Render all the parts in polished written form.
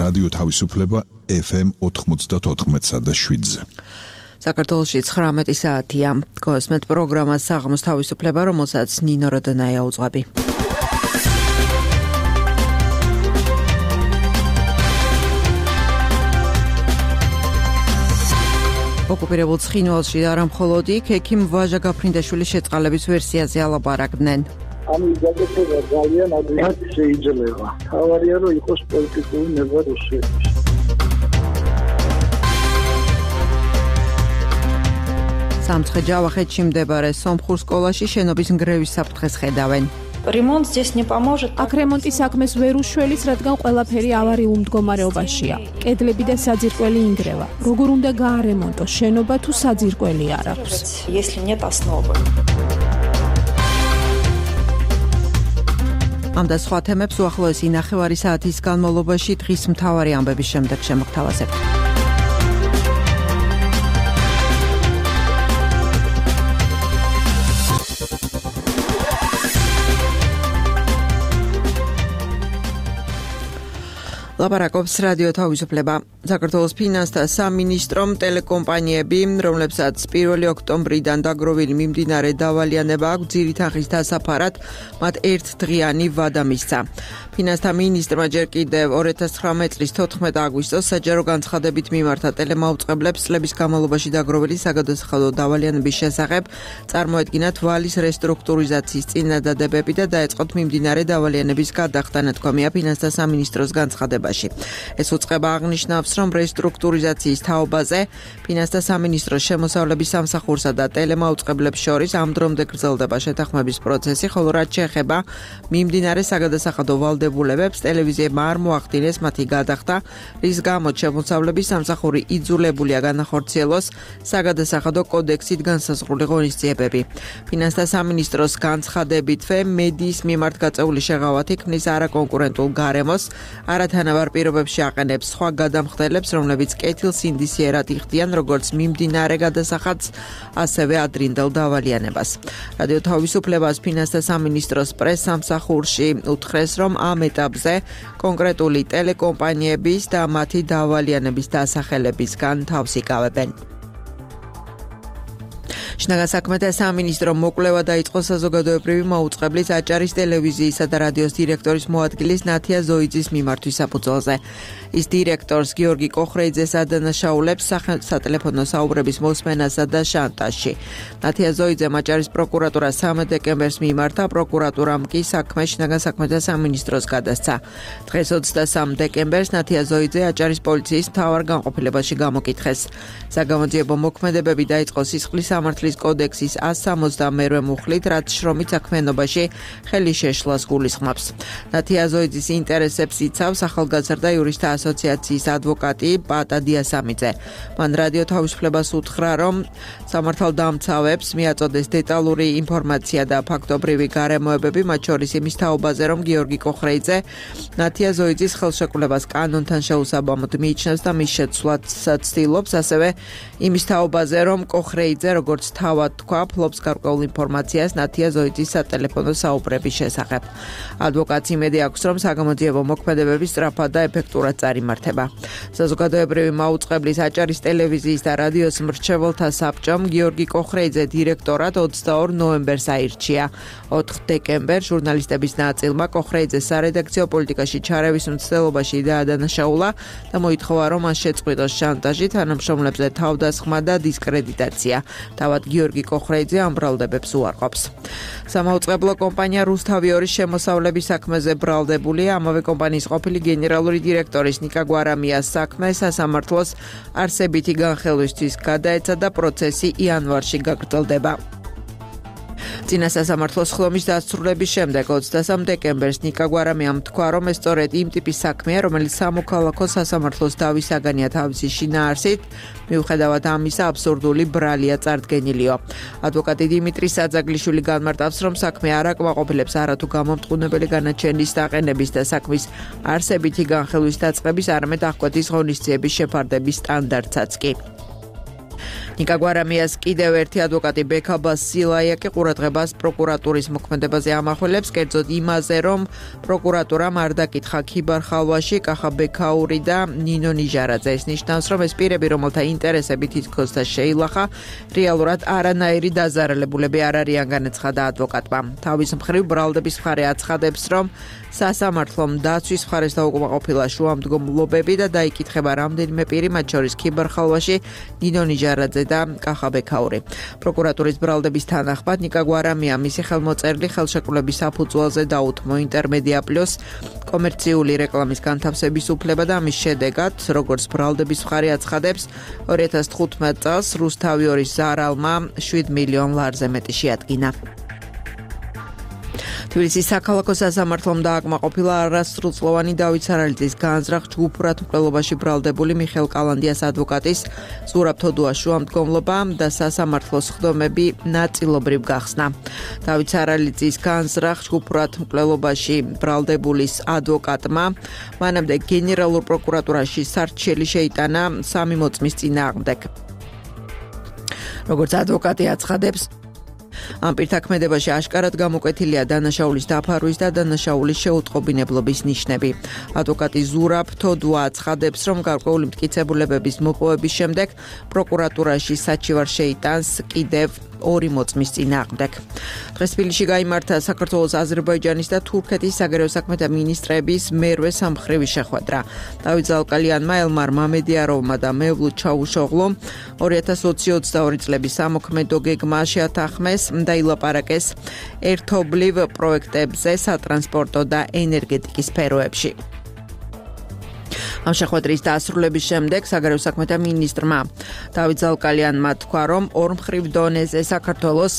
რადიო თავისუფლება FM 94.7-ზე. საქართველოში 19 საათია. გოსმეთ პროგრამას საღამოს თავისუფლება, რომელსაც ნინო როდონაია უძღვები. ოკუპირებულ ცხინვალში არა მხოლოდ იქ, ექიმ ვაჟა გაფრინდაშვილის შეწყალების ვერსიაზე ალაპარაკდნენ. ამის გაკეთება ძალიან ადრინდ შეიძლება. თავარია რომ იყოს პოლიტიკური ნება რუსეთში. სამცხე ჯავახეთში მდებარე სომხურ სკოლაში შენობის ნგრევის საფრთხეს ხედავენ. Ремонт здесь не поможет. აქ რემონტის საქმეს ვერ უშველის, რადგან ყველაფერი ავარიულ მდგომარეობაშია. კედლები და საძირკველი ინგრევა. როგორ უნდა გაარემონტოს შენობა თუ საძირკველი არ აქვს? Если нет основы. ამ და სხვა თემებს უახლოესი ნახევარი საათის განმავლობაში დღის მთავარი ამბების შემდეგ შემოგთავაზებთ. ლაპარაკობს რადიო თავისუფლება. საქართველოს ფინანსთა სამინისტრომ ტელეკომპანიები, რომლებსაც 1 ოქტომბრიდან დაგროვილი მიმდინარე დავალიანება აქვს ძირითაღის დასაფარად, მათ ერთდღიანი ვადა მისცა. ფინანსთა მინისტრმა ჯერ კიდევ 2019 წლის 14 აგვისტოს საჯარო განცხადებით მიმართა ტელემაუწყებლებს წლების განმავლობაში დაგროვილი საგადასახადო დავალიანების შესახებ წარმოედგინათ ვალის რესტრუქტურიზაციის წინადადებები და დაეწყოთ მიმდინარე დავალიანების გადახდა, თქვამია ფინანსთა სამინისტროს განცხადება. ეს უწყება აღნიშნავს, რომ რესტრუქტურიზაციის თაობაზე ფინანსთა სამინისტროს შემოსავლების სამსახურსა და ტელემაუწყებლებს შორის ამ დრომდე გრძელდება შეთანხმების პროცესი, ხოლო რაც შეეხება მიმდინარე საგადასახადო ვალდებულებებს, ტელევიზიებმა არ მოახდინეს მათი გადახდა, რის გამოც შემოსავლების სამსახური იძულებულია განახორციელოს საგადასახადო კოდექსით განსაზღვრული ღონისძიებები. ფინანსთა სამინისტროს განცხადებითვე მედიის მიმართ გაწეული შეღავათი ქმნის არაკონკურენტულ გარემოს, არათანაბარ პირობებში აყენებს სხვა გადამხდელებს, რომლებიც კეთილს ინდისიერად იხდიან როგორც მიმდინარე გადასახადს, ასევე ადრინდელ დავალიანებას. რადიო თავისუფლებას ფინანსთა სამინისტროს პრესსამსახურში უთხრეს, რომ ამ ეტაპზე კონკრეტული ტელეკომპანიების და მათი დავალიანების დასახელებისგან თავს იკავებენ. შინაგან საქმეთა სამინისტრომ მოკვლევა დაიწყო საზოგადოებრივი მაუწყებლის აჭარის ტელევიზიისა და რადიოს დირექტორის მოადგილის ნათია ზოიძის მიმართვის საფუძველზე. ის დირექტორს გიორგი კოხრეიძეს ადანაშაულებს სატელეფონო საუბრების მოსმენასა და შანტაჟში. ნათია ზოიძემ აჭარის პროკურატურას 13 დეკემბერს მიმართა, პროკურატურამ კი საქმე შინაგან საქმეთა სამინისტროს გადასცა. დღეს 23 დეკემბერს ნათია ზოიძე აჭარის პოლიციის მთავარ განყოფილებაში გამოკითხეს. საგამოძიებო მოქმედებები დაიწყო სისხლის სამართლის კოდექსის 162 მუხლით, რაც შრომით საქმიანობაში ხელი შეშლას გულისხმობს. ნათია ზოიძის ინტერესებს იცავს ახალგაზრდა იურისტთა ასოციაციის ადვოკატი პატა დიასამიძე. მან რადიო თავისუფლებას უთხრა, რომ სამართალდამცავებს მიაწოდეს დეტალური ინფორმაცია და ფაქტობრივი გარემოებები, მათ შორის იმის თაობაზე, რომ გიორგი კოხრეიძე ნათია ზოიძის ხელშეკრულებას კანონთან შეუსაბამოდ მიიჩნევს და მის შეცვლასაც ცდილობს, ასევე იმის თაობაზე, რომ კოხრეიძე როგორც თავად თქვა, ფლობს გარკვეულ ინფორმაციას ნათია ზოიძის სატელეფონო საუბრების შესახებ. ადვოკატს იმედი აქვს, რომ საგამოძიებო მოქმედებები სწრაფად და ეფექტურად წარიმართება. საზოგადოებრივი მაუწყებლის აჭარის ტელევიზიის და რადიოს მრჩეველთა საბჭომ გიორგი კოხრეიძე დირექტორად 22 ნოემბერს აირჩია. 4 დეკემბერს ჟურნალისტების ნაწილმა კოხრეიძეს სარედაქციო პოლიტიკაში ჩარევის მცდელობაში დაადანაშაულა და მოითხოვა, რომ მას შეწყვიტოს შანტაჟი, თანამშრომლებზე თავდასხმა და დისკრედიტაცია. თავად გიორგი კოხრეიძე ამ ბრალდებებს უარყოფს. სამაუწყებლო კომპანია რუსთავიორის შემოსავლების საქმეზე ბრალდებულია. ამავე კომპანიის ყოფილი გენერალური დირექტორის ნიკა გვარამიას საქმე სასამართლოს არსებითი განხელვისთვის გადაეცა და პროცესი იანვარში გაგრძელდება. წინა სასამართლოს ხლომის დასრულების შემდეგ 23 დეკემბერს ნიკა გვარამიამ თქვა, რომ ეს სწორედ იმ ტიპის საქმეა, რომელიც სამოქალაქო სასამართლოს დავისაგანია თავისი შინაარსით, მიუხედავად ამისა აბსურდული ბრალია წარდგენილიო. ადვოკატი დიმიტრი საძაგლიშვილი განმარტავს, რომ საქმე არ აკმაყოფილებს არათუ გამომტყუნებელი განაჩენის დაყენების და საქმის არსებითი განხილვის დაწყების, არამედ აღკვეთის ღონისძიების შეფარდების სტანდარტსაც კი. ნიკა გვარამიას კიდევ ერთი ადვოკატი ბექაბა სილაიაკი ყურადღებას პროკურატურის მოქმედებაზე ამახვილებს, კერძოდ იმაზე, რომ პროკურატურამ არ დაკითხა ქიბარ ხალვაში კახა ბექაური და ნინო ნიჟარაძე. ეს ნიშნავს, რომ ეს პირები, რომელთა ინტერესები თითქოს და შეილახა, რეალურად არანაირი დაზარალებულები არ არიან, განაცხადა ადვოკატმა. თავის მხრივ ბრალდების მხარე აცხადებს, რომ სასამართლომ დაცვის მხარეს დაუკმაყოფილა შუამდგომლობები და დაიკითხება რამდენიმე პირი, მათ შორის ქიბარ ხალვაში ნინო ნიჟარაძე და კახა ბექაური. პროკურატურის ბრალდების თანახმად ნიკა გვარამია მისი ხელმოწერილი ხელშეკრულების საფუძველზე დაუთმო ინტერმედია პლუს კომერციული რეკლამის განთავსების უფლება და ამის შედეგად, როგორც ბრალდების მხარე აცხადებს, 2015 წელს რუსთავი 2-ის ზარალმა 7 მილიონ ლარზე მეტი შეადგინა. თბილისის საქალაქო სასამართლომ დააკმაყოფილა არასრულწლოვანი დავით სარალიძის განზრახ ჯგუფურად მკვლელობაში ბრალდებული მიხეილ კალანდიას ადვოკატის ზურაბ თოდუას შუამდგომლობა და სასამართლოს ხდომები ნაწილობრივ გახსნა. დავით სარალიძის განზრახ ჯგუფურად მკვლელობაში ბრალდებულის ადვოკატმა მანამდე გენერალურ პროკურატურაში სარჩელი შეიტანა 3 მოწმის წინააღმდეგ. როგორც ადვოკატი აცხადებს, ამ პირთა ქმედებაში აშკარად გამოკვეთილია დანაშაულის დაფარვის და დანაშაულის შეუტყობინებლობის ნიშნები. ადვოკატი ზურაბ თოდუა აცხადებს, რომ გარკვეული მტკიცებულებების მოპოვების შემდეგ პროკურატურაში საჩივარ შეიტანს კიდევ 2 მოწმის წინააღმდეგ. დღეს თბილისში გაიმართა საქართველოს, აზერბაიჯანის და თურქეთის საგარეო საქმეთა მინისტრების მერვე სამმხრივი შეხვედრა. დავით ზალკალიანმა, ელმარ მამედიაროვმა და მევლუდ ჩავუშოღლომ 2022 წლების სამოქმედო გეგმა შეათანხმეს და ილაპარაკეს ერთობლივ პროექტებზე სატრანსპორტო და ენერგეტიკის სფეროებში. ამ შეხვედრის დასრულების შემდეგ საგარეო საქმეთა მინისტრმა დავით ზალკალიანმა თქვა, რომ ორმხრივ დონეზე საქართველოს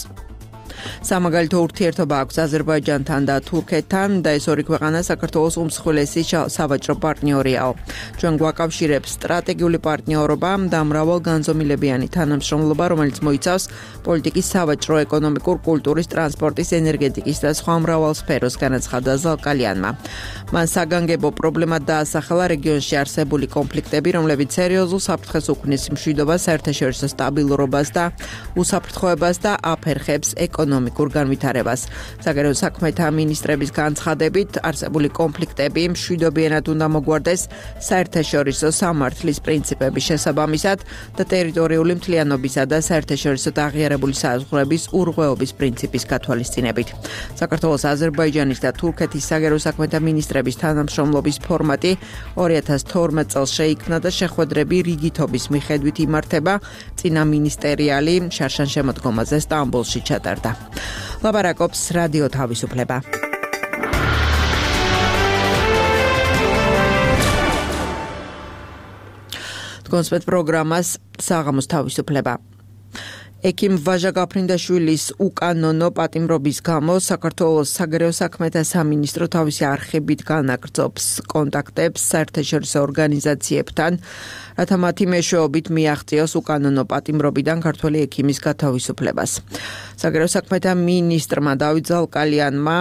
სამაგალითო ურთიერთობა აქვს აზერბაიჯანთან და თურქეთთან და ეს ორი ქვეყანა საქართველოს უმსხვილესი სავაჭრო პარტნიორიაო. ჩვენ გვაკავშირებს სტრატეგიული პარტნიორობა და მრავალგანზომილებიანი თანამშრომლობა, რომელიც მოიცავს პოლიტიკის, სავაჭრო, ეკონომიკურ, კულტურის, ტრანსპორტის, ენერგეტიკის და სხვა მრავალ სფეროს, განაცხადა ზალკალიანმა. მან საგანგებო პრობლემად დაასახელა რეგიონში არსებული კონფლიქტები, რომლებიც სერიოზულ საფრთხეს უქმნის მშვიდობას, საერთაშორისო სტაბილურობას და უსაფრთხოებას და აფერხებს ეკონომიკურ განვითარებას. საგარეო საქმეთა მინისტრების განცხადებით, არსებული კონფლიქტები მშვიდობიანად უნდა მოგვარდეს საერთაშორისო სამართლის პრინციპების შესაბამისად და ტერიტორიული მთლიანობისა და საერთაშორისო აღიარებული საზღვრების ურღვეობის პრინციპის გათვალისწინებით. საქართველოს, აზერბაიჯანის და თურქეთის საგარეო საქმეთა მინისტრების თანამშრომლობის ფორმატი 2012 წელს შეიქმნა და შეხვედრები რიგითობის მიხედვით იმართება წინა მინისტერიალი შარშან შემოდგომაზე სტამბოლში ჩატარდა. ლაპარაკობს რადიო თავისუფლება. კონსპეტ პროგრამას საღამოს თავისუფლება. ექიმ ვაჟა გაფრინდაშვილის უკანონო პატიმრობის გამო საქართველოს საგარეო საქმეთა სამინისტრო თავისი არხებით განაგრძობს კონტაქტებს საერთაშორისო ორგანიზაციებთან, რათა მათი მეშვეობით მიაღწიოს უკანონო პატიმრობიდან ქართველი ექიმის გათავისუფლებას. საგარეო საქმეთა მინისტრმა დავით ზალკალიანმა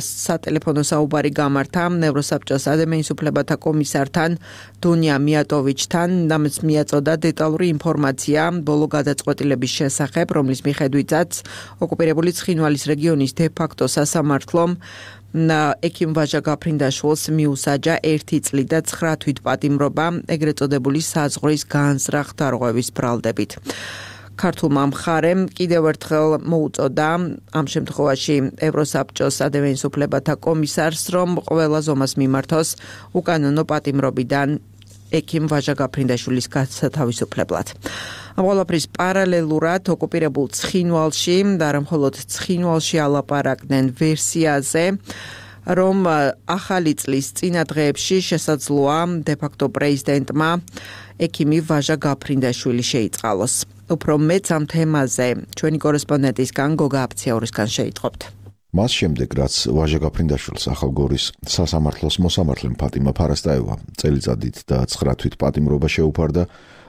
სატელეფონო საუბარი გამართა ნევროსაბჭოს ადამიანის უფლებათა კომისართან დუნია მიატოვიჩთან, ამაც მიაწოდა დეტალური ინფორმაცია ბოლო გადაწყვეტილების შესახებ, რომლის მიხედვითაც ოკუპირებული ცხინვალის რეგიონის დე-ფაქტო სასამართლომ ექიმ ვაჟა გაფრინდაშვილს მიუსაჯა 1 წლი და 9 თვით პატიმრობა ეგრეთ წოდებული საზღვრის განზრახ დარღვევის ბრალდებით. ქართულმა მხარემ კიდევ ერთხელ მოუწოდა ამ შემთხვევაში ევროსაბჭოს ადამიანის უფლებათა კომისარს, რომ ყველა ზომას მიმართოს უკანონო პატიმრობიდან ექიმ ვაჟა გაფრინდაშვილის გათავისუფლებლად. ამ ყველაფრის პარალელურად ოკუპირებულ ცხინვალში და არა მხოლოდ ცხინვალში ალაპარაკდნენ ვერსიაზე, რომ ახალი წლის წინა დღეებში შესაძლოა დე-ფაქტო პრეზიდენტმა ექიმი ვაჟა გაფრინდაშვილი შეიწყალოს. უფრო მეც ამ თემაზე ჩვენი კორესპონდენტისგან გოგა აფციაურისგან შეიტყობთ. მას შემდეგ, რაც ვაჟა გაფრინდაშვილს ახალგორის სასამართლოს მოსამართლემ ფატიმა ფარასტაევა წელიწადით და 9 თვით პატიმრობა შეუფარდა,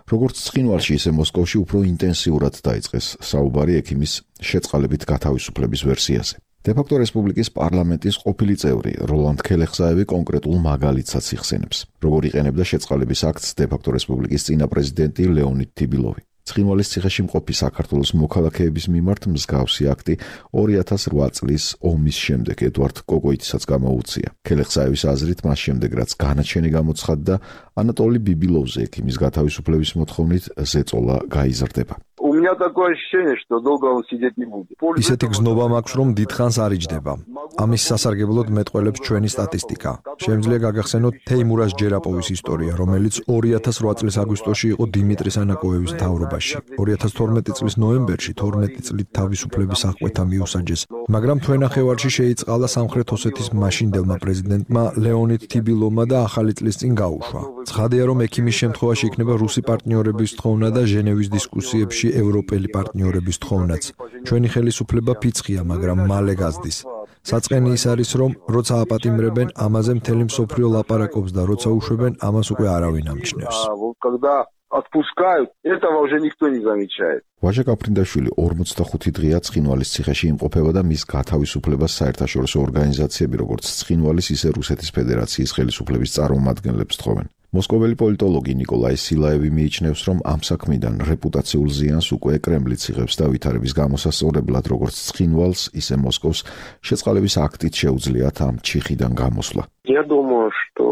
როგორც ცხინვალში, ისე მოსკოვში უფრო ინტენსიურად დაიწყეს საუბარი ექიმის შეწყალებით გათავისუფლების ვერსიაზე. დე-ფაქტო რესპუბლიკის პარლამენტის ყოფილი წევრი როლანდ ქელეხსაევი კონკრეტულ მაგალითსაც იხსენებს, როგორ იყენებდა შეწყალების აქტს დე-ფაქტო რესპუბლიკის წინა პრეზიდენტი ლეონიდ თიბილოვი. ცხინვალის ციხეში მყოფი საქართველოს მოქალაქეების მიმართ მსგავსი აქტი 2008 წლის ომის შემდეგ ედვარდ კოკოიტისაც გამოუწია. ქელეხსაევის აზრით მას შემდეგ რაც განაჩენი გამოცხადდა, ანატოლი ბიბილოვზე ექიმის გათავისუფლების მოთხოვნით ზეწოლა გაიზრდება. У меня такое ощущение, что долго он сидеть не будет. ისეთი გზნობა მაქვს, რომ დიდხანს არ იჯდება. ამის სასარგებლოდ მეტყველებს ჩვენი სტატისტიკა. Შემიძლია გაგახსენოთ თეიმურაზ ჯერაპოვის ისტორია, რომელიც 2008 წლის აგვისტოში იყო დიმიტრი სანაკოევის მთავრობაში. 2012 წლის ნოემბერში 12 წლით თავისუფლების აღკვეთა მიუსაჯეს, მაგრამ თვენახევარში შეიწყალა სამხრეთ ოსეთის მაშინდელმა პრეზიდენტმა ლეონიდ თიბილოვმა და ახალი წლის წინ გაუშვა. ცხადია, რომ ექიმის შემთხვევაში იქნება რუსი პარტნიორების თხოვნა და ჟენევის დისკუსიებში ევროპელი პარტნიორების თხოვნაც. ჩვენი ხელისუფლება ფიცხია, მაგრამ მალე გაზდის. საწყენი ის არის, რომ როცა აპატიმრებენ, ამაზე მთელი მსოფლიო ლაპარაკობს და როცა უშვებენ, ამას უკვე არავინ ამჩნევს. Отпускают, этого уже никто не замечает. ვაჟა გაფრინდაშვილი 45 დღეა ცხინვალის ციხეში იმყოფება და მის გათავისუფლებას საერთაშორისო ორგანიზაციები, როგორც ცხინვალის, ისე რუსეთის ფედერაციის ხელისუფლების წარმომადგენლებს თხოვენ. მოსკოველი პოლიტოლოგი ნიკოლაი სილაევი მიიჩნევს, რომ ამ საქმიდან რეპუტაციულ ზიანს უკვე კრემლიც იღებს და ვითარების გამოსასწორებლად, როგორც ცხინვალს, ისე მოსკოვს შეწყალების აქტით შეუძლიათ ამ ჩიხიდან გამოსვლა. Я думаю, что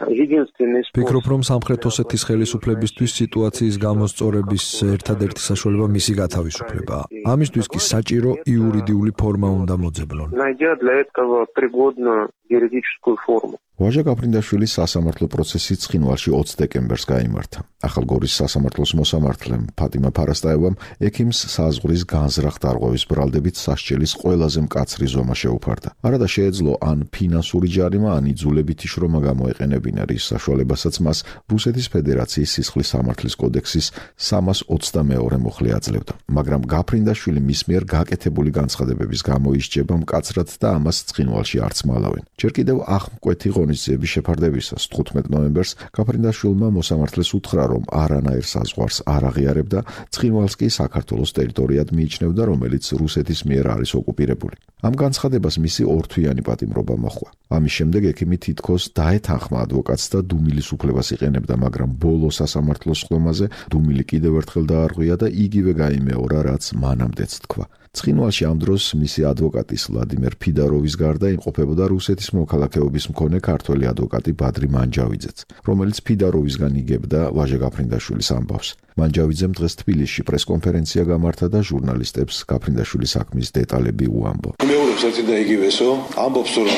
единственный способ. Ფიქრობ, რომ სამხრეთ ოსეთის ხელისუფლებისთვის სიტუაციის გამოსწორების ერთადერთი საშუალება მისი გათავისუფლებაა. ამისთვის კი საჭირო იურიდიული ფორმა უნდა მოძებნონ. Найдя для этого пригодную юридическую форму. ვაჟა გაფრინდაშვილის სასამართლო პროცესი ცხინვალში 20 დეკემბერს გაიმართა. ახალგორის სასამართლოს მოსამართლემ ფატიმა ფარასტაევამ ექიმს საზღვრის განზრახ დარღვევის ბრალდებით სასჯელის ყველაზე მკაცრი ზომა შეუფარდა. არადა შეეძლო ან ფინანსური ჯარიმა, ან იძულებითი შრომა გამოეყენებინა, რის საშუალებასაც მას რუსეთის ფედერაციის სისხლის სამართლის კოდექსის 322 მუხლი აძლევდა. მაგრამ გაფრინდაშვილი მის მიერ გაკეთებული განცხადებების გამო ისჯება მკაცრად და ამას ცხინვალში არც მალავენ. ჯერ კიდევ ახმკვეთი ღონისძიების შეფარდებისას 15 ნოემბერს გაფრინდაშვილმა მოსამართლეს უთხრა, რომ არანაირ საზღვარს არ აღიარებდა, ცხინვალს კი საქართველოს ტერიტორიად მიიჩნევდა, რომელიც რუსეთის მიერ არის ოკუპირებული. ამ განცხადებას მისი ორთვიანი პატიმრობა მოჰყვა. ამის შემდეგ ექიმი თითქოს დაეთანხმა ადვოკატს და დუმილის უფლებას იყენებდა, მაგრამ ბოლო სასამართლო სხდომაზე დუმილი კიდევ ერთხელ დაარღვია და იგივე გაიმეორა, რაც მანამდეც თქვა. ცხინვალში ამ დროს მისი ადვოკატის ვლადიმერ ფიდაროვის გარდა იმყოფებოდა რუსეთის მოქალაქეობის მქონე ქართველი ადვოკატი ბადრი მანჯავიძეც, რომელიც ფიდაროვისგან იგებდა ვაჟა გაფრინდაშვილის ამბავს. მანჯავიძემ დღეს თბილისში პრესკონფერენცია გამართა და ჟურნალისტებს გაფრინდაშვილის საქმის დეტალები უამბო. მეუბნებს ერთი და იგივესო, ამბობს, რომ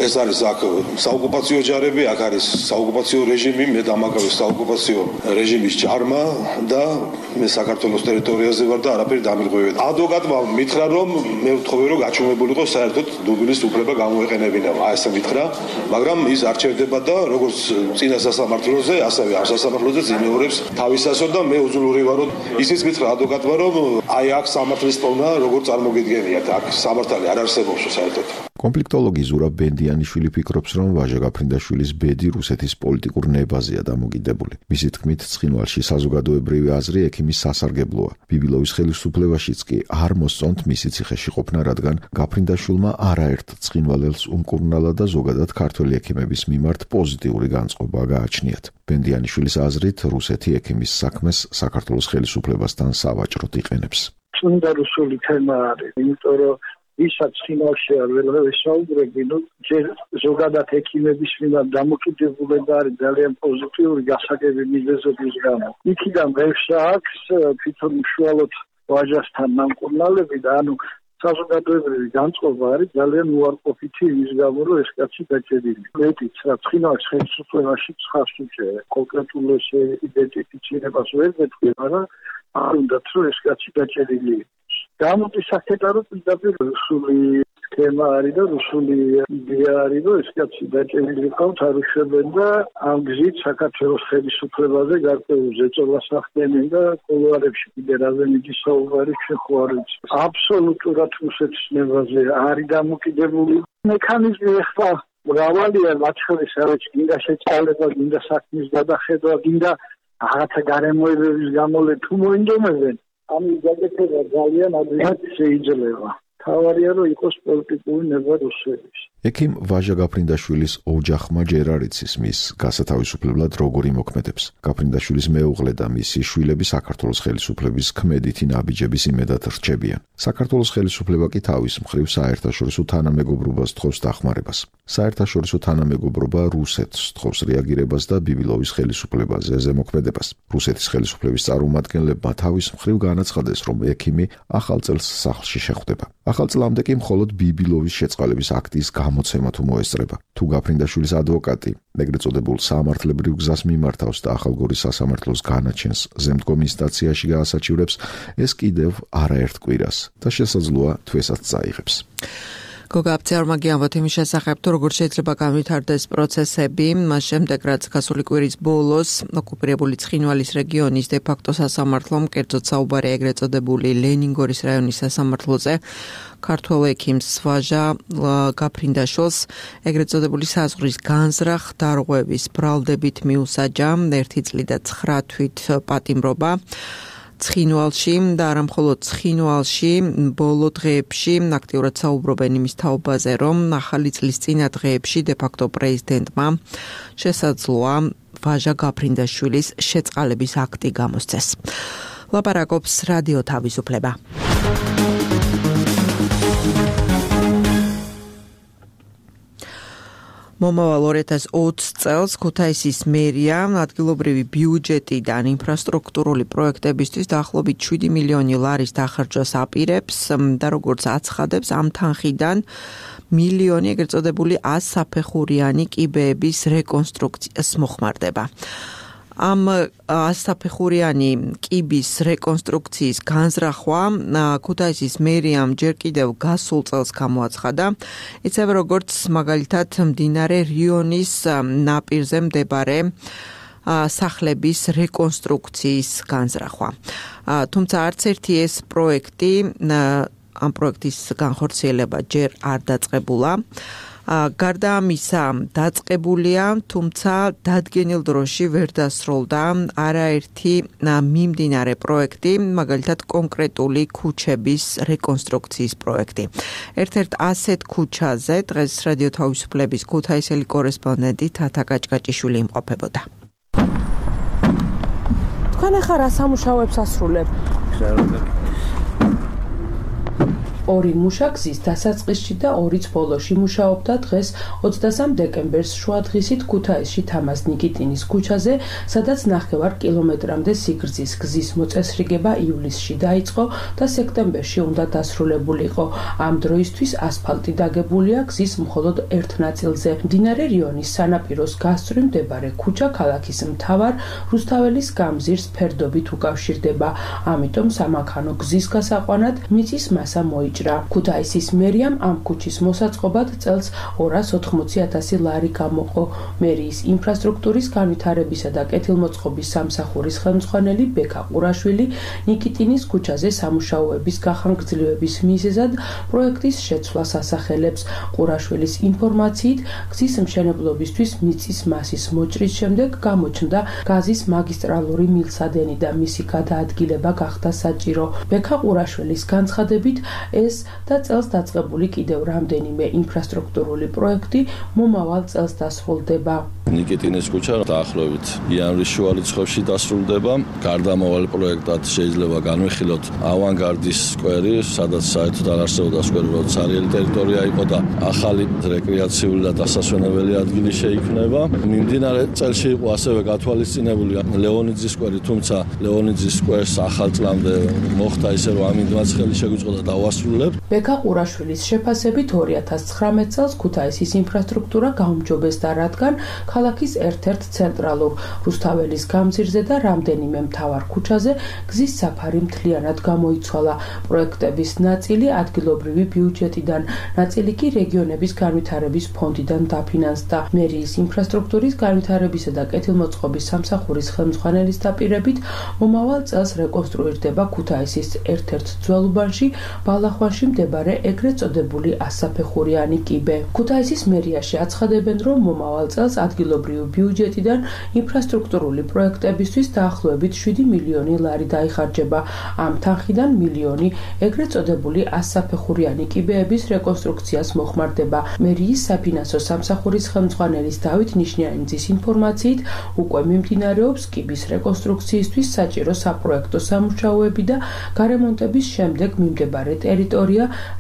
ეს არის აქ საოკუპაციო ჯარები, აქ არის საოკუპაციო რეჟიმი, მე დამაგავი საოკუპაციო რეჟიმის ჯარმა და მე საქართველოს ტერიტორიაზე ვარ და არაფერი დამირღვევია. ადვოკატმა მითხრა, რომ მე ვთხოვე, რომ გაჩვენებულიყო საერთოდ დუბლის უფლება გამოეყენებინა. აი ესე მითხრა, მაგრამ ის არ ჩერდება და როგორც წინა სასამართლოზე, ასევე ამ სასამართლოზე იმეორებს თავისასო და მე უძლური ვარო. ისიც მითხრა ადვოკატმა, რომ აი აქ სამართლის პოვნა როგორ წარმოგიდგენიათ, აქ სამართალი არ არსებობს საერთოდ. კონფლიქტოლოგი ზურაბ ბენდიანიშვილი ფიქრობს, რომ ვაჟა გაფრინდაშვილის ბედი რუსეთის პოლიტიკურ ნებაზეა დამოკიდებული. მისი თქმით, ცხინვალში საზოგადოებრივი აზრი ექიმის სასარგებლოა. ბიბილოვის ხელისუფლებაშიც კი არ მოსწონთ მისი ციხეში ყოფნა, რადგან გაფრინდაშვილმა არაერთ ცხინვალელს უმკურნალა და ზოგადად ქართველი ექიმების მიმართ პოზიტიური განწყობა გააჩნიათ. ბენდიანიშვილის აზრით, რუსეთი ექიმის საქმეს საქართველოს ხელისუფლებასთან სავაჭროდ იყენებს. წმინდა რუსული თემა არის, იმიტომ რომ ვისაც ცხინვალში არ ვესაუბრები, ჯერ ზოგადად ექიმების მიმართ დამოკიდებულება არის ძალიან პოზიტიური გასაგები მიზეზების გამო. იქიდან ღირსა აქვს თვითონ უშუალოდ ვაჟასთან ნამკურნალები და საზოგადოებრივი განწყობა არის ძალიან უარყოფითი იმის გამო, რომ ეს კაცი დაჭერილი. მეტიც რა ცხინვალის ხელისუფლებაში ცხავს უჭერე. კონკრეტულ ეს იდენტიფიცირებას ვერ მეთქვი, მაგრამ არ უნდათ რომ ეს კაცი დაჭერილი. გამოდის აქეთა რომ პირდაპირ რუსული თემა არის და რუსული იდეა არის, რომ ეს კაცი დაჭერილი ყავთ არ უშვებენ და ამ გზით საქართველოს ხელისუფლებაზე გარკვეულ ზეწოლას ახდენენ და კულუარებში კიდე რაზემიძის საუბარი შეხوار ვიცი. აბსოლუტურად რუსეთის ნებაზე არის დამოკიდებული მექანიზმი ახლა მრავალია, მათ შორის არის გინდა შეწყალება, გინდა საქმის გადახედვა, გინდა რაღაცა გარემოებების გამოლე თუ მოინდომებენ. ამის გაკეთება ძალიან ადვილი შეიძლება. თავარია რომ იყოს პოლიტიკური ნება რუსების. ექიმ ვაჟა გაფრინდაშვილის ოჯახმა ჯერ არ იცის მის გასათავისუფლებლად როგორ იმოქმედებს. გაფრინდაშვილის მეუღლე და მისი შვილები საქართველოს ხელისუფლების ქმედითი ნაბიჯების იმედად რჩებიან. საქართველოს ხელისუფლება კი თავის მხრივ საერთაშორისო თანამეგობრობას თხოვს დახმარებას. საერთაშორისო თანამეგობრობა რუსეთს თხოვს რეაგირებას და ბიბილოვის ხელისუფლებაზე ზემოქმედებას. რუსეთის ხელისუფლების წარმომადგენლებმა თავის მხრივ განაცხადეს, რომ ექიმი ახალ წელს სახლში შეხვდება. ახალ წლამდე კი მხოლოდ ბიბილოვის შეწყალების აქტის გამოცემა თუ მოესწრება. თუ გაფრინდაშვილის ადვოკატი ეგრეთ წოდებულ სამართლებრივ გზას მიმართავს და ახალგორის სასამართლოს განაჩენს ზემდგომ ინსტანციაში გაასაჩივრებს, ეს კიდევ არაერთ კვირას და შესაძლოა თვესაც წაიღებს. გოგა აფცეარმაგი ამბობთ იმის შესახებ, თუ როგორ შეიძლება განვითარდეს პროცესები, მას შემდეგ რაც გასული კვირის ბოლოს ოკუპირებული ცხინვალის რეგიონის დე-ფაქტო სასამართლომ, კერძოდ საუბარი ეგრეთ წოდებული ლენინგორის რაიონის სასამართლოზე, ქართველ ექიმს ვაჟა გაფრინდაშვილს ეგრეთ წოდებული საზღვრის განზრახ დარღვევის ბრალდებით მიუსაჯა 1 წლი და 9 თვით პატიმრობა. ცხინვალში და არა მხოლოდ ცხინვალში, ბოლო დღეებში აქტიურად საუბრობენ იმის თაობაზე, რომ ახალი წლის წინა დღეებში დე-ფაქტო პრეზიდენტმა შესაძლოა ვაჟა გაფრინდაშვილის შეწყალების აქტი გამოსცეს. ლაპარაკობს რადიო თავისუფლება. მომავალ 2020 წელს ქუთაისის მერია ადგილობრივი ბიუჯეტიდან ინფრასტრუქტურული პროექტებისთვის დაახლოებით 7 მილიონი ლარის დახარჯვას აპირებს და როგორც აცხადებს, ამ თანხიდან მილიონი ეგრეთ წოდებული 100 საფეხურიანი კიბეების რეკონსტრუქციას მოხმარდება. ამ 100 საფეხურიანი კიბის რეკონსტრუქციის განზრახვა ქუთაისის მერიამ ჯერ კიდევ გასულ წელს გამოაცხადა, ისევე როგორც მაგალითად მდინარე რიონის ნაპირზე მდებარე სახლების რეკონსტრუქციის განზრახვა. თუმცა არც ერთი ეს პროექტი, ამ პროექტის განხორციელება ჯერ არ დაწყებულა. გარდა ამისა დაწყებულია, თუმცა დადგენილ დროში ვერ დასრულდა არაერთი მიმდინარე პროექტი, მაგალითად კონკრეტული ქუჩების რეკონსტრუქციის პროექტი. ერთ-ერთ ასეთ ქუჩაზე დღეს რადიო თავისუფლების ქუთაისელი კორესპონდენტი თათა კაჭკაჭიშვილი იმყოფებოდა. თქვენ ახლა რა სამუშაოებს ასრულებთ? ორი მუშაკზის დასაწყისში და ორიც ბოლოში მუშაობდა დღეს 23 დეკემბერს შუადღისით ქუთაისში თამაზ ნიკიტინის ქუჩაზე, სადაც 9 კილომეტრამდე სიგრძის გზის მოწესრიგება ივლისში დაიწყო და სექტემბერში უნდა დასრულებულიყო. ამ დროისთვის ასფალტი დაგებულია გზის მხოლოდ ერთ ნაწილზე. მდინარე რიონის სანაპიროს გასწვრივ მდებარე ქუჩა ქალაქის მთავარ რუსთაველის გამზირს ფერდობით უკავშირდება. ამიტომ სამანქანო გზის გასაყვანად მიწის მასა მოიჭრა. ქუთაისის მერიამ ამ ქუჩის მოსაწყობად წელს 280,000 ლარი გამოყო. მერიის ინფრასტრუქტურის განვითარებისა და კეთილმოწყობის სამსახურის ხელმძღვანელი ბექა ყურაშვილი ნიკიტინის ქუჩაზე სამუშაოების გახანგრძლივების მიზეზად პროექტის შეცვლას ასახელებს. ყურაშვილის ინფორმაციით, გზის მშენებლობისთვის მიწის მასის მოჭრის შემდეგ გამოჩნდა გაზის მაგისტრალური მილსადენი და მისი გადაადგილება გახდა საჭირო. ბექა ყურაშვილის განცხადებით, ეს და წელს დაწყებული კიდევ რამდენიმე ინფრასტრუქტურული პროექტი მომავალ წელს დასრულდება. ნიკიტინის ქუჩა დაახლოებით იანვრის შუა რიცხვებში დასრულდება. გარდამავალ პროექტად შეიძლება განვიხილოთ ავანგარდის სკვერი, სადაც საერთოდ არ არსებობდა სკვერი, როცა სარიელი ტერიტორია იყო და ახალი რეკრეაციული და დასასვენებელი ადგილი შეიქმნება. მიმდინარე წელში იყო ასევე გათვალისწინებული ლეონიძის სკვერი, თუმცა ლეონიძის სკვერს ახალ წლამდე მოხდა ისე, რომ ამინდმაც ხელი შეგვიწყდა დავასრულებთ. ბექა ყურაშვილის შეფასებით 2019 წელს ქუთაისის ინფრასტრუქტურა გაუმჯობესდა, რადგან ქალაქის ერთ-ერთ ცენტრალურ რუსთაველის გამზირზე და რამდენიმე მთავარ ქუჩაზე გზის საფარი მთლიანად გამოიცვალა. პროექტების ნაწილი ადგილობრივი ბიუჯეტიდან, ნაწილი კი რეგიონების განვითარების ფონდიდან დაფინანსდა. მერიის ინფრასტრუქტურის განვითარებისა და კეთილმოწყობის სამსახურის ხელმძღვანელის დაპირებით, მომავალ წელს რეკონსტრუირდება ქუთაისის ერთ-ერთ ძველ უბანში ბალახ ნახვაში მდებარე ეგრეთ წოდებული ასაფეხურიანი კიბე. ქუთაისის მერიაში აცხადებენ, რომ მომავალ წელს ადგილობრივი ბიუჯეტიდან ინფრასტრუქტურული პროექტებისთვის დაახლოებით 7 მილიონი ლარი დაიხარჯება. ამ თანხიდან მილიონი ეგრეთ წოდებული ასაფეხურიანი კიბეების რეკონსტრუქციას მოხმარდება. მერიის საფინანსო სამსახურის ხელმძღვანელის დავით ნიშნიანიძის ინფორმაციით, უკვე მიმდინარეობს კიბის რეკონსტრუქციისთვის საჭირო საპროექტო სამუშაოები და გარემონტების შემდეგ მიმდებარე ტერიტორია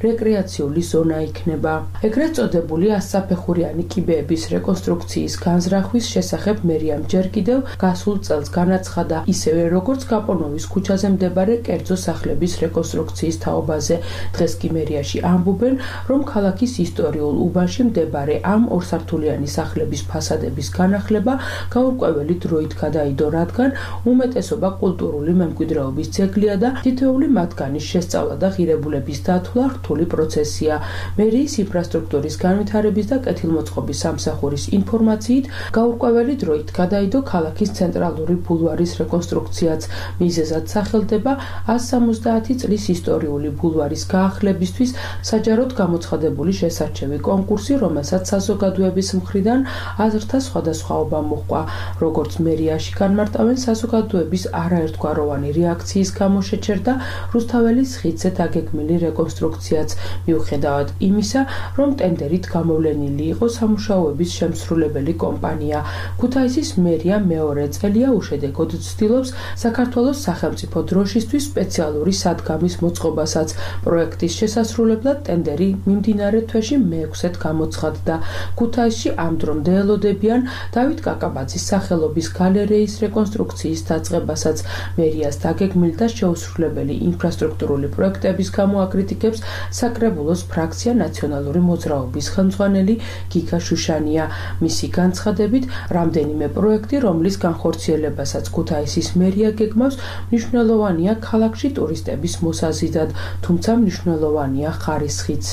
რეკრეაციული ზონა იქნება. ეგრეთ წოდებული ასაფეხურიანი კიბეების რეკონსტრუქციის განზრახვის შესახებ მერიამ ჯერ კიდევ გასულ წელს განაცხადა, ისევე როგორც გაპონოვის ქუჩაზე მდებარე კერძო სახლების რეკონსტრუქციის თაობაზე. დღეს კი მერიაში ამბობენ, რომ ქალაქის ისტორიულ უბანში მდებარე ამ ორსართულიანი სახლების ფასადების განახლება გაურკვეველი დროით გადაიდო, რადგან უმეტესობა კულტურული მემკვიდრეობის ძეგლია და თითოეული მათგანის შესწავლა და ღირებულების დათვლა რთული პროცესია. მერიის ინფრასტრუქტურის განვითარების და კეთილმოწყობის სამსახურის ინფორმაციით, გაურკვეველი დროით გადაიდო ქალაქის ცენტრალური ბულვარის რეკონსტრუქციაც. მიზეზად სახელდება 170 წლის ისტორიული ბულვარის გაახლებისთვის საჯაროდ გამოცხადებული შესარჩევი კონკურსი, რომელსაც საზოგადოების მხრიდან აზრთა სხვადასხვაობა მოჰყვა. როგორც მერიაში განმარტავენ, საზოგადოების არაერთგვაროვანი რეაქციის გამო შეჩერდა რუსთაველის ხიდზე დაგეგმილი რეკონსტრუქციაც, მიუხედავად იმისა, რომ ტენდერით გამოვლენილი იყო სამუშაოების შემსრულებელი კომპანია. ქუთაისის მერია მეორე წელია უშედეგოდ ცდილობს საქართველოს სახელმწიფო დროშისთვის სპეციალური სადგამის მოწყობასაც. პროექტის შესასრულებლად ტენდერი მიმდინარე თვეში მე-6-ად გამოცხადდა. ქუთაისში ამ დრომდე ელოდებიან დავით კაკაბაძის სახელობის გალერეის რეკონსტრუქციის დაწყებასაც. მერიას დაგეგმილი და შეუსრულებელი ინფრასტრუქტურული პროექტების გამო აკრიტიკებს საკრებულოს ფრაქცია ნაციონალური მოძრაობის ხელმძღვანელი გიგა შუშანია. მისი განცხადებით, რამდენიმე პროექტი, რომლის განხორციელებასაც ქუთაისის მერია გეგმავს, მნიშვნელოვანია ქალაქში ტურისტების მოსაზიდად, თუმცა მნიშვნელოვანია ხარისხიც.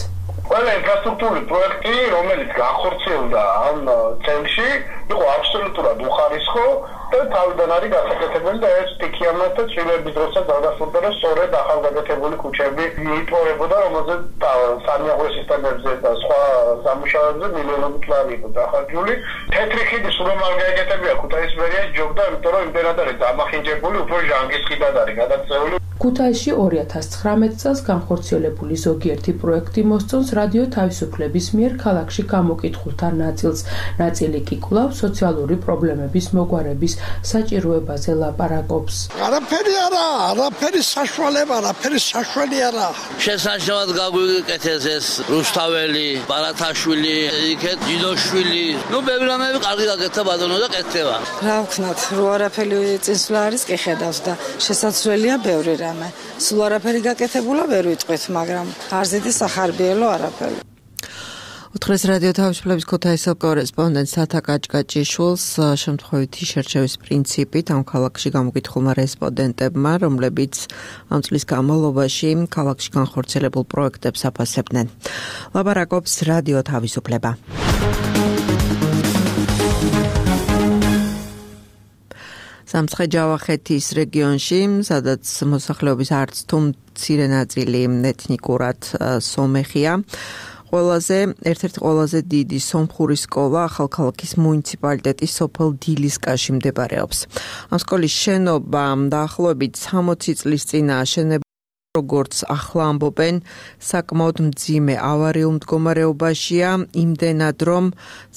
ყველა ინფრასტრუქტურული პროექტი, რომელიც განხორციელდა ამ წელში, იყო აბსოლუტურად უხარისხო და თავიდან არის გასაკეთებელი და ეს სტიქიამად და წვიმების დროსაც გადასულდა, რომ სწორედ ახალგაზრდებული ქუჩები იპოვებოდა, რომელზეც სანიაღვრე სისტემებზე და სხვა სამუშაოებზე მილიონობით ლარი იყო დახარჯული. თეთრი ხიდი სულ არ გაეკეთებია ქუთაისის მერია ჯობდა, იმიტომ რომ იმდენად არის დამახინჯებული, უფრო ჟანგის ხიდად არის გადაწეული. ქუთაისში 2019 წელს განხორციელებული ზოგიერთი პროექტი მოსწონს რადიო თავისუფლების მიერ ქალაქში გამოკითხულთა ნაწილს. ნაწილი კი კვლავ სოციალური პრობლემების მოგვარების საჭიროებაზე ლაპარაკობს. არაფერი არა, არაფერი საშუალება, არაფერი საშველი არა. შესაძლოა გაგვიკეთეს ეს რუსთაველი, ბარათაშვილი, იქეთ ჯინოშვილი. ნუ ბევრი რამეები კარგი გაკეთდა ბატონო და კეთდება. რა ვქნათ, რო არაფერი წინსვლა არის კი ხედავს და შესაძლებელია ბევრი რამე. სულ არაფერი გაკეთებულა ვერ ვიტყვით, მაგრამ არ ზედი სახარბიელო არაფერი. უთხრეს რადიო თავისუფლების ქუთაისელ კორესპონდენტ სათა კაჭკაჭიშვილს შემთხვევითი შერჩევის პრინციპით ამ ქალაქში გამოკითხულმა რესპონდენტებმა, რომლებიც ამ წლის განმავლობაში ქალაქში განხორციელებულ პროექტებს აფასებდნენ. ლაპარაკობს რადიო თავისუფლება. სამცხე-ჯავახეთის რეგიონში, სადაც მოსახლეობის არც თუ მცირე ნაწილი ეთნიკურად სომეხია, ერთ-ერთი ყველაზე დიდი სომხური სკოლა ახალქალაქის მუნიციპალიტეტის სოფელ დილისკაში მდებარეობს. ამ სკოლის შენობა დაახლოებით 60 წლის წინ აშენებულა, როგორც ახლა ამბობენ, საკმაოდ მძიმე ავარიულ მდგომარეობაშია, იმდენად რომ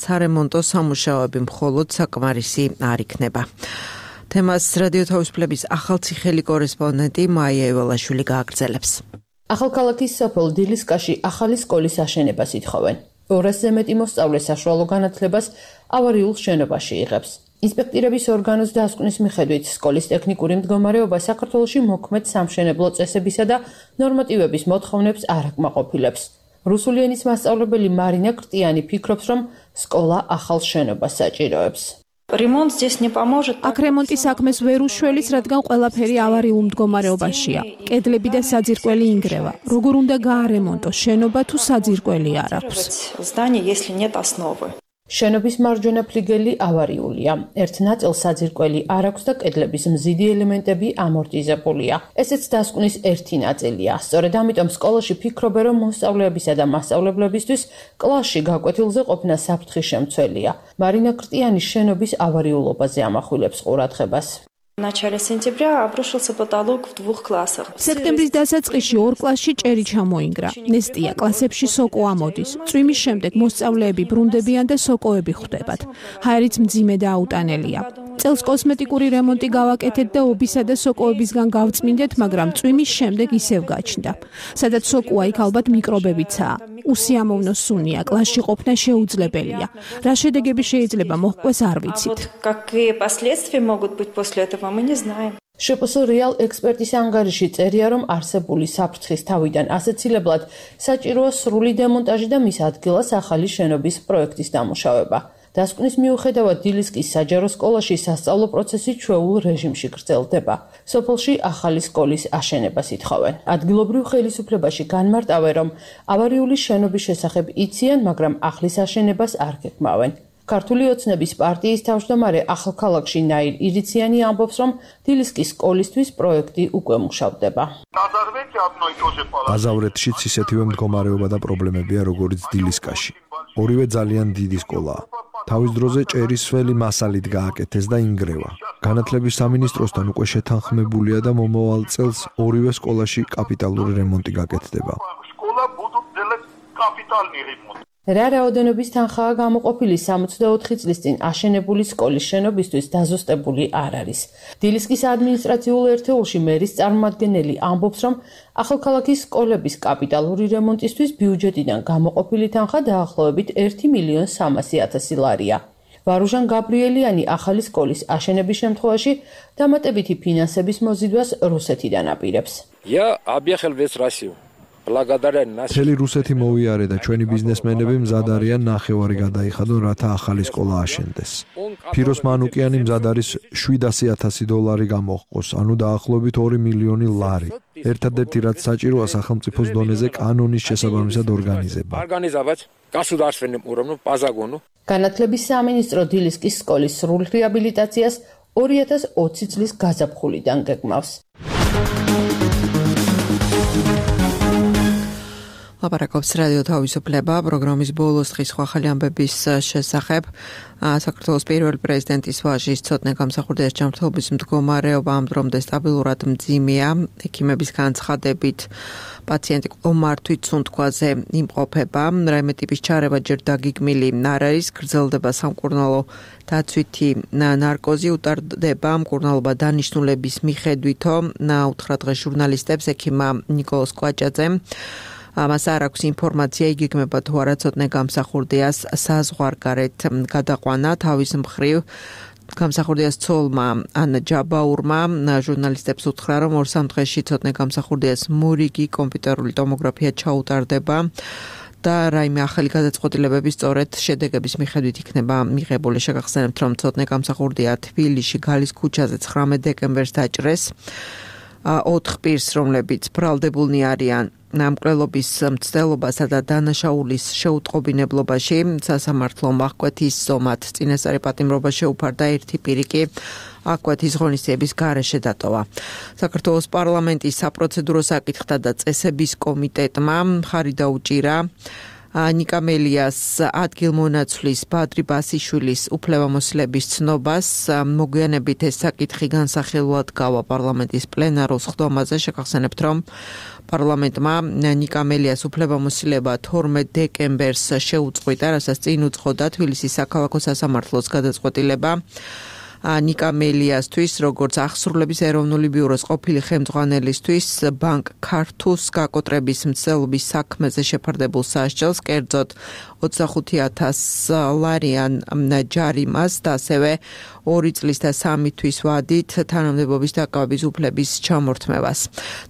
სარემონტო სამუშაოები მხოლოდ საკმარისი არ იქნება. თემას რადიო თავისუფლების ახალციხელი კორესპონდენტი მაია ევალაშვილი გააგრძელებს. ახალქალაქის სოფელ დილისკაში ახალი სკოლის აშენებას ითხოვენ. 200-ზე მეტი მოსწავლე საშუალო განათლებას ავარიულ შენობაში იღებს. ინსპექტირების ორგანოს დასკვნის მიხედვით, სკოლის ტექნიკური მდგომარეობა საქართველოში მოქმედ სამშენებლო წესებისა და ნორმატივების მოთხოვნებს არ აკმაყოფილებს. რუსული ენის მასწავლებელი მარინა კრტიანი ფიქრობს, რომ სკოლა ახალ შენობას საჭიროებს. Ремонт здесь не поможет. აქ რემონტი საქმეს ვერ უშველის, რადგან ყველაფერი ავარიულ მდგომარეობაშია. კედლები და საძირკველი ინგრევა. როგორ უნდა გაარემონტოს შენობა თუ საძირკველი არ აქვს? Здание, если нет основы. შენობის მარჯვენა ფლიგელი ავარიულია. ერთ ნაწილს საძირკველი არ აქვს და კედლების მზიდი ელემენტები ამორტიზებულია. ესეც დასკვნის ერთი ნაწილია. სწორედ ამიტომ სკოლაში ფიქრობენ, რომ მოსწავლეებისა და მასწავლებლებისთვის კლასში გაკვეთილზე ყოფნა საფრთხის შემცველია. მარინა კრტიანი შენობის ავარიულობაზე ამახვილებს ყურადღებას. В начале сентября обрушился потолок в 2 классах. სექტემბრის დასაწყისში 2 კლასში ჭერი ჩამოინგრა. ნესტია კლასებში სოკო ამოდის. წვიმის შემდეგ მოსწავლეები ბრუნდებიან და სოკოები ხვდებათ. ჰაერიც მძიმე და აუტანელია. წელს კოსმეტიკური რემონტი გავაკეთეთ და ობისა და სოკოებისგან გავწმინდეთ, მაგრამ წვიმის შემდეგ ისევ გაჩნდა. სადაც სოკოა, იქ ალბათ მიკრობებიცაა. უსიამოვნო სუნია, კლასში ყოფნა შეუძლებელია. რა შედეგები შეიძლება მოჰყვეს არ ვიცით. Какие последствия могут быть после этого, мы не знаем. შპს რეალ ექსპერტის ანგარიში წერია, რომ არსებული საფრთხის თავიდან ასეცილებლად საჭიროა სრული დემონტაჟი და მის ადგილას ახალი შენობის პროექტის დამუშავება. დასკვნის მიუხედავად დილისკის საჯარო სკოლაში სასწავლო პროცესი ჩვეულ რეჟიმში გრძელდება. სოფელში ახალი სკოლის აშენებას ითხოვენ. ადგილობრივ ხელისუფლებაში განმარტავენ, რომ ავარიული შენობის შესახებ იციან, მაგრამ ახლის აშენებას არ გეკმავენ. ქართული ოცნების პარტიის თავმჯდომარე ახალქალაქში ნაირ ირიციანი ამბობს, რომ დილისკის სკოლისთვის პროექტი უკვე მუშავდება. აზავრეთშიც ისეთივე მდგომარეობა და პრობლემებია, როგორც დილისკაში. ორივე ძალიან დიდი სკოლაა. თავის დროზე ჭერის სველი მასალით გააკეთეს და ინგრევა. განათლების სამინისტროსთან უკვე შეთანხმებულია და მომავალ წელს ორივე სკოლაში კაპიტალური რემონტი გაკეთდება. რა რაოდენობის თანხაა გამოყოფილი 64 წლის წინ აშენებული სკოლის შენობისთვის დაზუსტებული არ არის. დილისკის ადმინისტრაციულ ერთეულში მერის წარმომადგენელი ამბობს, რომ ახალქალაქის სკოლების კაპიტალური რემონტისთვის ბიუჯეტიდან გამოყოფილი თანხა დაახლოებით 1.300.000 ლარია. ვარუჟან გაბრიელიანი ახალი სკოლის აშენების შემთხვევაში დამატებითი ფინანსების მოზიდვას რუსეთიდან აპირებს. მთელი რუსეთი მოვიარე და ჩვენი ბიზნესმენები მზად არიან ნახევარი გადაიხადონ, რათა ახალი სკოლა აშენდეს. ფიროს მანუკიანი მზად არის $700,000 გამოჰყოს, ანუ დაახლოებით 2 მილიონი ლარი. ერთადერთი რაც საჭიროა სახელმწიფოს დონეზე კანონის შესაბამისად ორგანიზება. განათლების სამინისტრო დილისკის სკოლის სრულ რეაბილიტაციას 2020 წლის გაზაფხულიდან გეგმავს. ლაპარაკობს რადიო თავისუფლება პროგრამის ბოლოს დღის ახალი ამბების შესახებ. საქართველოს პირველი პრეზიდენტის ვაჟის ცოტნე გამსახურდიას ჯანმრთელობის მდგომარეობა ამ დრომდე სტაბილურად მძიმეა. ექიმების განცხადებით პაციენტი ყომართვით სუნთქვაზე იმყოფება. რაიმე ტიპის ჩარევა ჯერ დაგიგმილი არ არის, გრძელდება სამკურნალო დაცვითი ნარკოზი, უტარდება მკურნალობა დანიშნულების მიხედვითო, უთხრა დღეს ჟურნალისტებს ექიმა ნიკოლოზ კვაჭაძემ. მას არ აქვს ინფორმაცია, იგეგმება თუ არა ცოტნე გამსახურდიას საზღვარგარეთ გადაყვანა. თავის მხრივ გამსახურდიას ცოლმა ანა ჯაბაურმა ჟურნალისტებს უთხრა, რომ 2-3 დღეში ცოტნე გამსახურდიას მორიგი კომპიუტერული ტომოგრაფია ჩაუტარდება და რაიმე ახალი გადაწყვეტილებები სწორედ შედეგების მიხედვით იქნება მიღებული. შეგახსენებთ, რომ ცოტნე გამსახურდია თბილისში გალის ქუჩაზე 19 დეკემბერს დაჭრეს 4 პირს, რომლებიც ბრალდებულნი არიან ნამკვლელობის მცდელობასა და დანაშაულის შეუტყობინებლობაში. სასამართლომ აღკვეთის ზომად წინასწარი პატიმრობა შეუფარდა, ერთი პირი კი აღკვეთის ღონისძიების გარეშე დატოვა. საქართველოს პარლამენტის საპროცედურო საკითხთა და წესების კომიტეტმა მხარი დაუჭირა ნიკა მელიას ადგილმონაცვლის ბადრი ბასიშვილის უფლებამოსილების ცნობას. მოგვიანებით ეს საკითხი განსახილვად გავა პარლამენტის პლენარულ სხდომაზე. შეგახსენებთ, რომ პარლამენტმა ნიკა მელიას უფლებამოსილება 12 დეკემბერს შეუწყვიტა, რასაც წინ უძღოდა თბილისის საქალაქო სასამართლოს გადაწყვეტილება. ნიკა მელიასთვის, როგორც აღსრულების ეროვნული ბიუროს ყოფილი ხელმძღვანელისთვის, ბანკ ქართუს გაკოტრების მცდელობის საქმეზე შეფარდებულ სასჯელს, კერძოდ 25,000 ლარიან ჯარიმას და ასევე 2 წლის და 3 თვის ვადით თანამდებობის დაკავების უფლების ჩამორთმევას.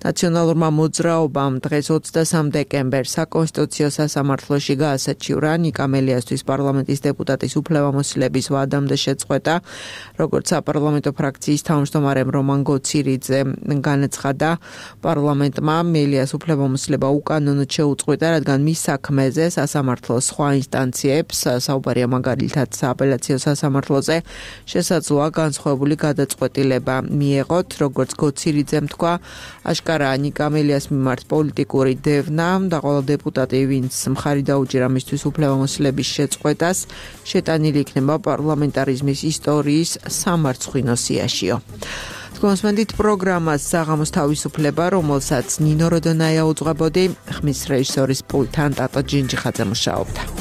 ნაციონალურმა მოძრაობამ დღეს 23 დეკემბერს საკონსტიტუციო სასამართლოში გაასაჩივრა ნიკა მელიასთვის პარლამენტის დეპუტატის უფლებამოსილების ვადამდე შეწყვეტა, როგორც საპარლამენტო ფრაქციის თავმჯდომარემ რომან გოცირიძე განაცხადა, პარლამენტმა მელიას უფლებამოსილება უკანონოდ შეუწყვეტა, რადგან მის საქმეზე სასამართლოს სხვა ინსტანციებს, საუბარია მაგალითად სააპელაციო სასამართლოზე, შესაძლოა განსხვავებული გადაწყვეტილება მიეღოთ, როგორც გოცირიძემ თქვა, აშკარაა ნიკა მელიას მიმართ პოლიტიკური დევნა და ყველა დეპუტატი, ვინც მხარი დაუჭირა მისთვის უფლებამოსილების შეწყვეტას, შეტანილი იქნება პარლამენტარიზმის ისტორიის სამარცხვინო სიაშიო. Თქვენსმენდით პროგრამას საღამოს თავისუფლება, რომელსაც ნინო როდონაია უძღვებოდი, ხმის რეჟისორის პულტთან ტატო ჯინჯიხაძე მუშაობდა.